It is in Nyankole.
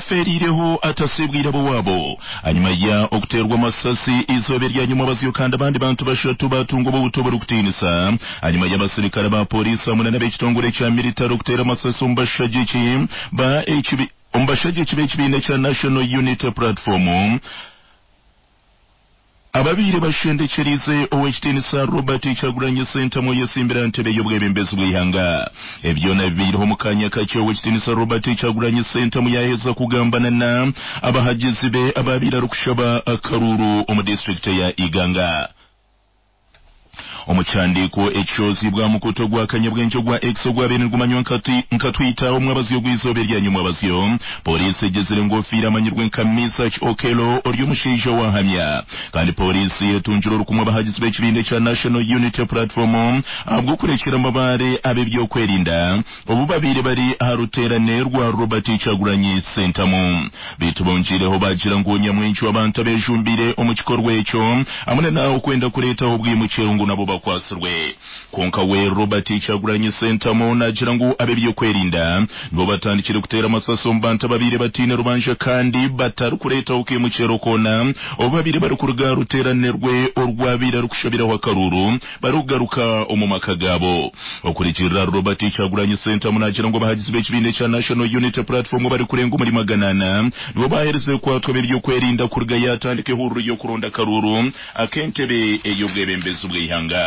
Afeeriireho atasiibwire ab'owaabo ahanyima ya okuteerwa amasasi eizooba erya nyomwabazyo kandi abandi bantu bashatu baatunga obuhuta oburikutiinisa ahanyima y'abasirikare ba pooriisi hamwe na n'ab'ekitongore ekya miritare okuteera amasasi omu bashagiki ba omu bashagiki b'ekibiina ekya National Unity Platform. Ababaire bashendekyereize Ow'ekitiinisa Robert Kyagulanyi Ssentamu oyesimbire aha ntebe y'obwebembezi bw'eihanga. Ebi byona bibaireho omu kaanya kakye Ow'ekitiinisa Robert Kyagulanyi Ssentamu yaaheza kugambana na abahagizi be abaabaire arikushaba akaruuru omu disiturikiti eya Iganga. Omu kihandiiko ekishohoziibwe aha mukutu ogwa kanyabwengye ogwa X ogwabaire nigumanywa nka Twitter omwabazyo ogw'eizooba erya nyomwabazyo, pooriisi egizire ngu ofiire amanyirwe nka Mesach Okello ori omushaija owaahamya. Kandi pooriisi etungire orukumu abahagizi b'ekibiina ekya National Unity Platform ahabw'okurekyera amabaare ab'eby'okwerinda obu babaire bari aha ruteerane rwa Robert Kyagulanyi Ssentamu. Beitu bongyeireho baagira ngu nyamwingi w'abantu abeejumbiire omu kikorwa ekyo hamwe na okwenda kureetaho obwimukye ngu nabo bakwatsirwe. Kwonka we Robert Kyagulanyi Ssentamu naagira ngu ab'eby'okwerinda nibo batandikire kuteera amasasi omu bantu ababaire bataine rubanja kandi batarikureetaho kaimukyero koona obu babaire barikuruga aha ruteerane rwe orwabaire arikushabiraho akaruuru barikugaruka omu maka gaabo. Okurugiirira ahari Robert Kyagulanyi Ssentamu naagira ngu abahagizi b'ekibiina ekya National Unity Platform abarikurenga omuri 400 nibo baaherize kukwatwa ab'eby'okwerinda kuruga yaatandika ehururu y'okuronda akaruuru ak'entebe ey'obwebembezi bw'eihanga.